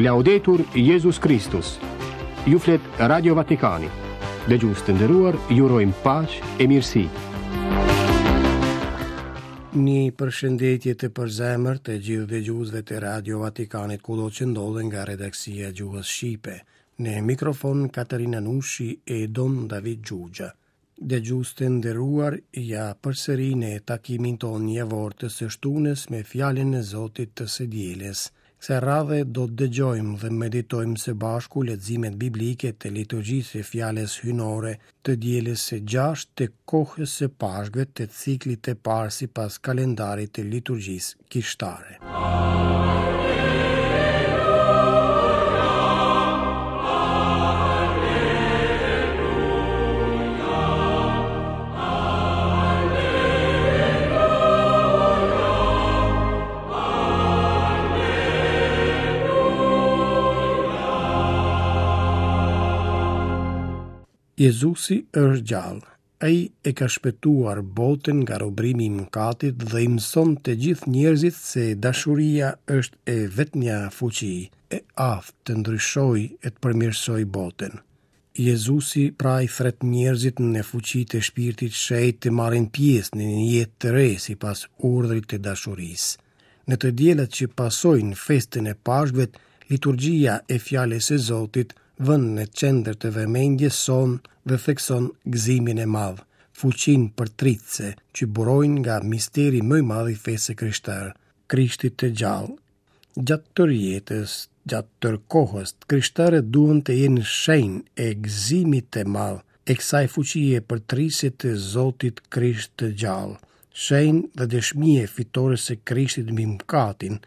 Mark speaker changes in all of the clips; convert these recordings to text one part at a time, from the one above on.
Speaker 1: Laudetur Jezus Kristus. Ju flet Radio Vatikani. Dëgjues të nderuar, ju urojmë paqe e mirësi.
Speaker 2: Një përshëndetje të përzemërt të gjithë dëgjuesve të Radio Vatikanit kudo që ndodhen nga redaksia e gjuhës shqipe. Në mikrofon Katerina Nushi e Dom David Xhuxha. Dëgjues të nderuar, ja përsëri në takimin tonë javor të së shtunës me fjalën e Zotit të së dielës. Kësaj radhe do të dëgjojmë dhe meditojmë së bashku leximet biblike të liturgjisë së fjalës hyjnore të dielës së gjashtë të kohës së Pashkëve të ciklit të parë sipas kalendarit të liturgjisë kishtare. Jezusi është gjallë. Ai e ka shpëtuar botën nga robërimi i mëkatit dhe i mëson të gjithë njerëzit se dashuria është e vetmja fuqi e aftë të ndryshojë e të përmirësojë botën. Jezusi pra i thërret njerëzit në fuqi të Shpirtit Shenjt të marrin pjesë në një jetë të re sipas urdhrit të dashurisë. Në të dielat që pasojnë festën e Pashkëve, liturgjia e Fjalës së Zotit vën në qendër të vëmendjes sonë dhe thekson gëzimin e madh, fuqinë përtëritëse që burojnë nga misteri më i madh i fesë së krishterë, Krishtit të gjallë. Gjatë tërë jetës, gjatë tërë kohës, të krishterët duhen të jenë shenjë e gëzimit të madh, e kësaj fuqie përtëritëse të Zotit Krisht të gjallë, shenjë dhe dëshmi e fitores së Krishtit mbi mëkatin,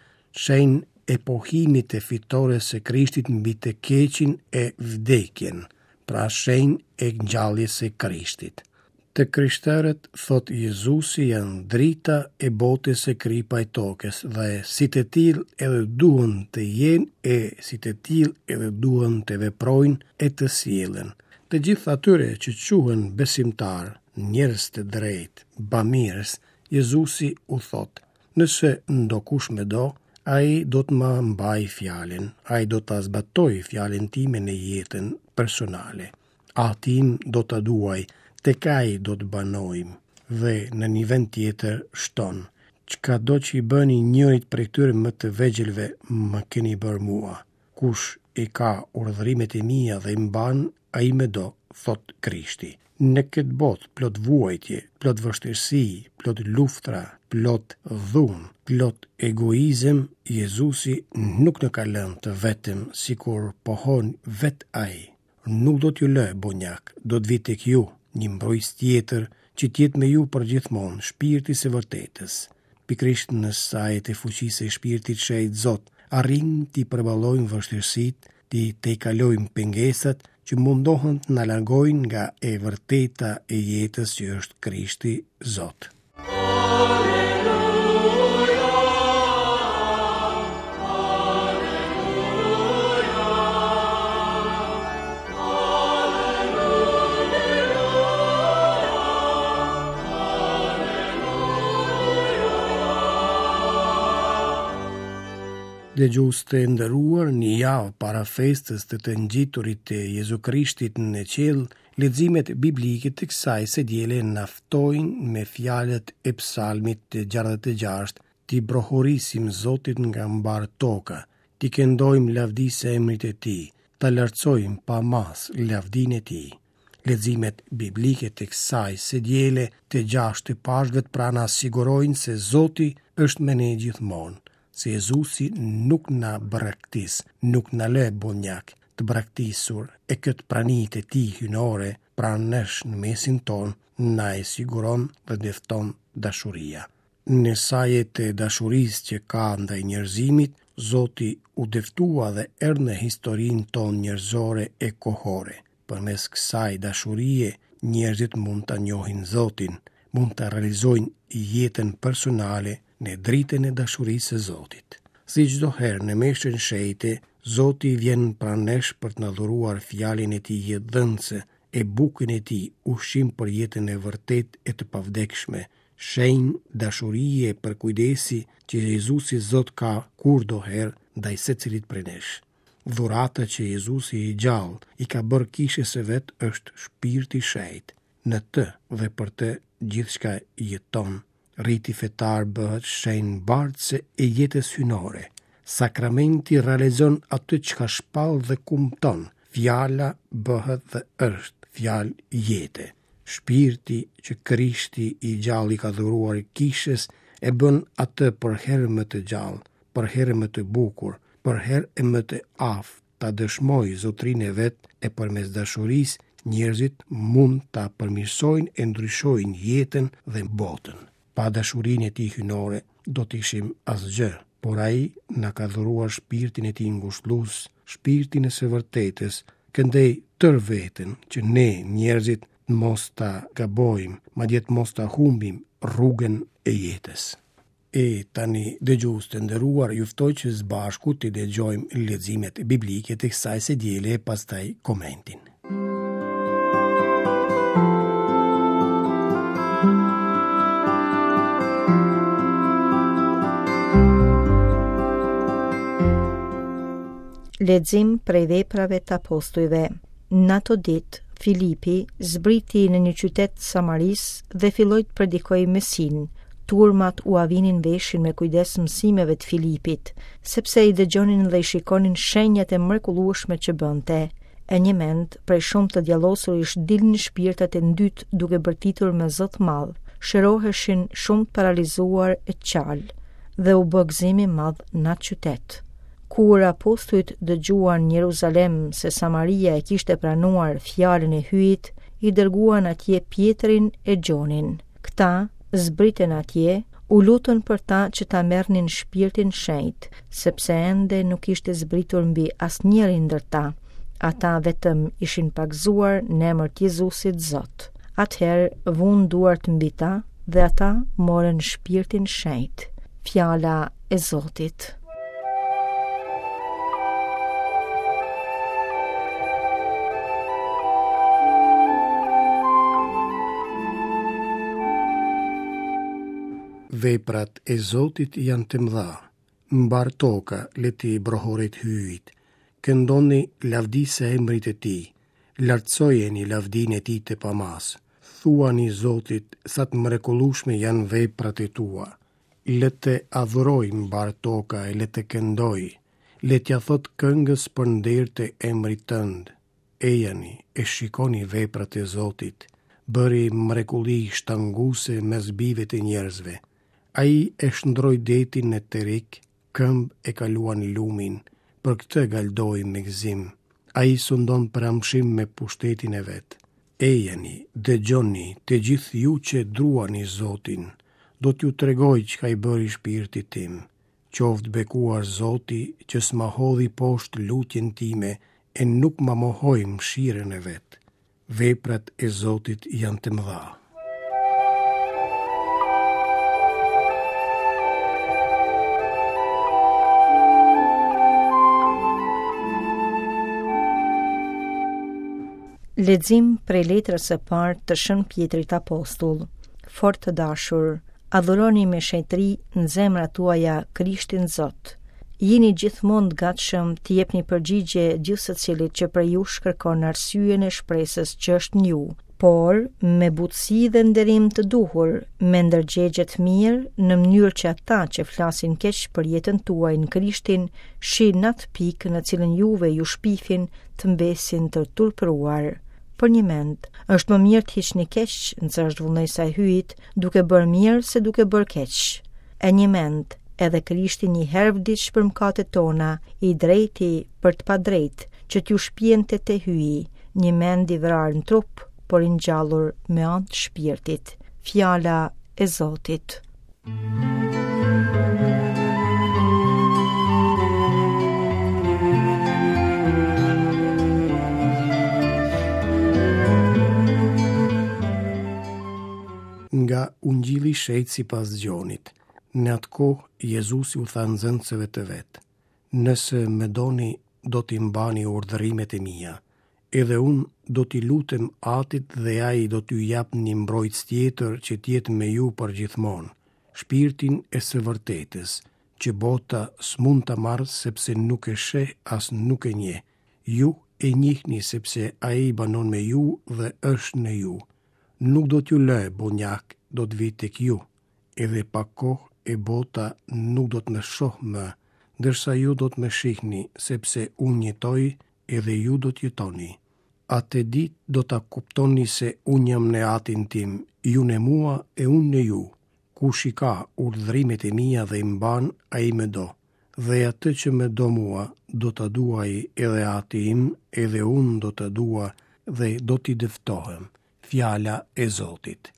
Speaker 2: shenjë e pohimit të fitores së Krishtit mbi të keqin e vdekjen, pra shenjë e ngjalljes së Krishtit. Të krishterët, thotë Jezusi, janë drita e botës e kripa e tokës dhe si të tillë edhe duhen të jenë e si të tillë edhe duhen të veprojnë e të sillen. Të gjithë atyre që quhen besimtarë, njerëz të drejtë, bamirës, Jezusi u thotë, Nëse ndokush më do, ai do të ma mbajë fjalën, ai do ta zbatojë fjalën time në jetën personale. Ati im do ta duajë, tek ai do të banojmë. Dhe në një vend tjetër shton, Çkado që i bëni njërit prej këtyre më të vegjëlve, më keni bërë mua. Kush i ka urdhërimet e mia dhe i mban, ai më do, thotë Krishti. Në këtë botë plot vuajtje, plot vështirësi, plot luftra, plot dhunë, plot egoizëm, Jezusi nuk na ka lënë të vetëm, sikur pohon vetë ai. Nuk do t'ju lë bonjak, do të vij tek ju, një mbrojtës tjetër, që të jetë me ju përgjithmonë, shpirti i së vërtetës. Pikërisht në saje të fuqisë së Shpirtit Shenjt Zot, arrijmë t'i përballojmë vështirësitë, t'i tejkalojmë pengesat që mundohen të na largojnë nga e vërteta e jetës që është Krishti Zot. Dëgjues të nderuar, një javë para festës të të ngjiturit të Jezu Krishtit në qiell, leximet biblike të kësaj së diele na ftojnë me fjalët e Psalmit të 66, t'i brohorisim Zotit nga mbarë toka, t'i këndojmë lavdisë emrit të tij, ta lartësojmë pa masë lavdinë e tij. Leximet biblike të kësaj së diele të gjashtë të Pashkëve pra na sigurojnë se Zoti është me ne gjithmonë, se Jezusi nuk na braktis, nuk na lë bonjak, të braktisur, e këtë prani të tij hyjnore pranë nesh në mesin tonë na e siguron dhe dëfton dashuria. Në saje të dashurisë që ka ndaj njerëzimit, Zoti u dëftua dhe erdhi në historinë tonë njerëzore e kohore. Përmes kësaj dashurie, njerëzit mund ta njohin Zotin, mund ta realizojnë jetën personale në dritën e dashurisë së Zotit. Si çdo herë në meshën shenjte, Zoti vjen pranë nesh për të na dhuruar fjalën e tij jetëdhënëse e bukën e tij, ushqim për jetën e vërtetë e të pavdekshme, shenjë dashurie e përkujdesi që Jezusi Zot ka kurdoherë ndaj secilit prej nesh. Dhurata që Jezusi i gjallë i ka bërë kishës së vet është Shpirti i Shenjtë. Në të dhe për të gjithçka jeton. Riti fetar bëhet shenjë mbartëse e jetës hyjnore. Sakramenti realizon atë çka shpall dhe kumton. Fjala bëhet dhe është fjalë jete. Shpirti që Krishti i gjallë i ka dhuruar kishës e bën atë përherë më të gjallë, përherë më të bukur, përherë e më të aftë ta dëshmojë zotërinë e vet e përmes dashurisë njerëzit mund ta përmirësojnë e ndryshojnë jetën dhe botën. Pa dashurinë e tij hyjnore do të ishim asgjë, por ai na ka dhuruar shpirtin e tij ngushëllues, shpirtin e së vërtetës, këndej tërë veten që ne njerëzit të mos ta gabojmë, madje të mos ta humbim rrugën e jetës. E tani, dëgjues të nderuar, ju ftoj që së bashku të dëgjojmë leximet biblike të kësaj së diele e pastaj komentin.
Speaker 3: Lexim prej veprave të apostujve. Në ato ditë, Filipi zbriti në një qytet të Samarisë dhe filloi të predikojë Mesinë. Turmat ua vinin veshin me kujdes mësimeve të Filipit, sepse i dëgjonin dhe i shikonin shenjat e mrekullueshme që bënte. E njëmend, prej shumë të djallosurish dilnin shpirtat e ndytë duke bërtitur me zë të madh, shëroheshin shumë të paralizuar e çalë, dhe u bë gëzim i madh në atë qytet. Kur apostujt dëgjuan në Jeruzalem se Samaria e kishte pranuar fjalën e Hyjit, i dërguan atje Pjetrin e Gjonin. Këta zbritën atje, u lutën për ta që ta merrnin shpirtin shenjt, sepse ende nuk ishte zbritur mbi asnjërin ndër ta. Ata vetëm ishin pagëzuar në emër të Jezusit Zot. Atëherë vunë duart mbi ta dhe ata morën shpirtin shenjt. Fjala e Zotit.
Speaker 2: Veprat e Zotit janë të mëdha, mbarë toka le t'i brohoret Hyjit. Këndoni lavdi së emrit të tij, lartësojeni lavdinë e tij të pamasë. Thuani Zotit sa të mrekullueshme janë veprat e tua. Le të adhurojë mbarë toka e le të këndojë, le t'ia thotë këngës për nder të emrit tënd. Ejani e shikoni veprat e Zotit, bëri mrekulli shtanguese mes bijve të njerëzve. Ai e shndërroi detin në terik, këmbë e kaluan lumin, për këtë galdoi me gëzim. Ai sundon për amshim me pushtetin e vet. Ejani, dëgjoni, të gjithë ju që druani Zotin, do t'ju tregoj çka i bëri shpirtit tim. Qoftë bekuar Zoti që s'ma hodhi poshtë lutjen time e nuk ma mohoi mëshirën e vet. Veprat e Zotit janë të mëdha.
Speaker 3: Lexim prej letrës së parë të Shën Pjetrit Apostull. Fort të dashur, adhuroni me shenjtëri në zemrat tuaja Krishtin Zot. Jini gjithmonë të gatshëm t'i jepni përgjigje gjithsecilit që prej jush kërkon arsyen e shpresës që është në ju, por me butësi dhe nderim të duhur, me ndërgjegje të mirë, në mënyrë që ata që flasin keq për jetën tuaj në Krishtin, shi në atë pikë në cilën juve ju shpifin, të mbesin të turpëruar. Përnjëmend, është më mirë të hiqni keq, nëse është vullnesa e Hyjit, duke bërë mirë se duke bërë keq. E njëmend, edhe Krishti një herë vdiq për mëkatet tona, i drejti për të padrejtë, që t'ju shpiente te Hyji, njëmend i vrarë në trup, por i ngjallur me anë të shpirtit. Fjala e Zotit.
Speaker 2: Nga Ungjilli i Shenjtë sipas Gjonit. Në atë kohë Jezusi u tha nxënësve të vet: Nëse më doni, do t'i mbani urdhërimet e mia. Edhe unë do t'i lutem Atit dhe ai do t'ju japë një mbrojtës tjetër që të jetë me ju përgjithmonë, Shpirtin e së vërtetës. që bota s'mund ta marrë sepse nuk e sheh as nuk e njeh. Ju e njihni sepse ai banon me ju dhe është në ju. Nuk do t'ju lë bonjak, do të vij tek ju. Edhe pak kohë e bota nuk do të më shohë më, ndërsa ju do të më shihni, sepse unë jetoj edhe ju do të jetoni. Atë ditë do ta kuptoni se unë jam në Atin tim, ju në mua e unë në ju. Kush i ka urdhërimet e mia dhe i mban, ai më do. Dhe atë që më do mua, do ta duajë edhe Ati im, edhe unë do ta dua dhe do t'i dëftohem. Fjala e Zotit.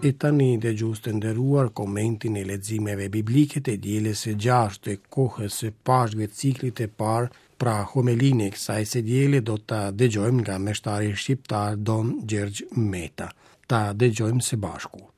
Speaker 2: E tani dëgjues të nderuar komentin e leximeve biblike të dielës së gjashtë të kohës së Pashkëve ciklit të parë, pra homelinë e kësaj së diele do ta dëgjojmë nga meshtari shqiptar Dom Gjergj Meta. Ta dëgjojmë së bashku.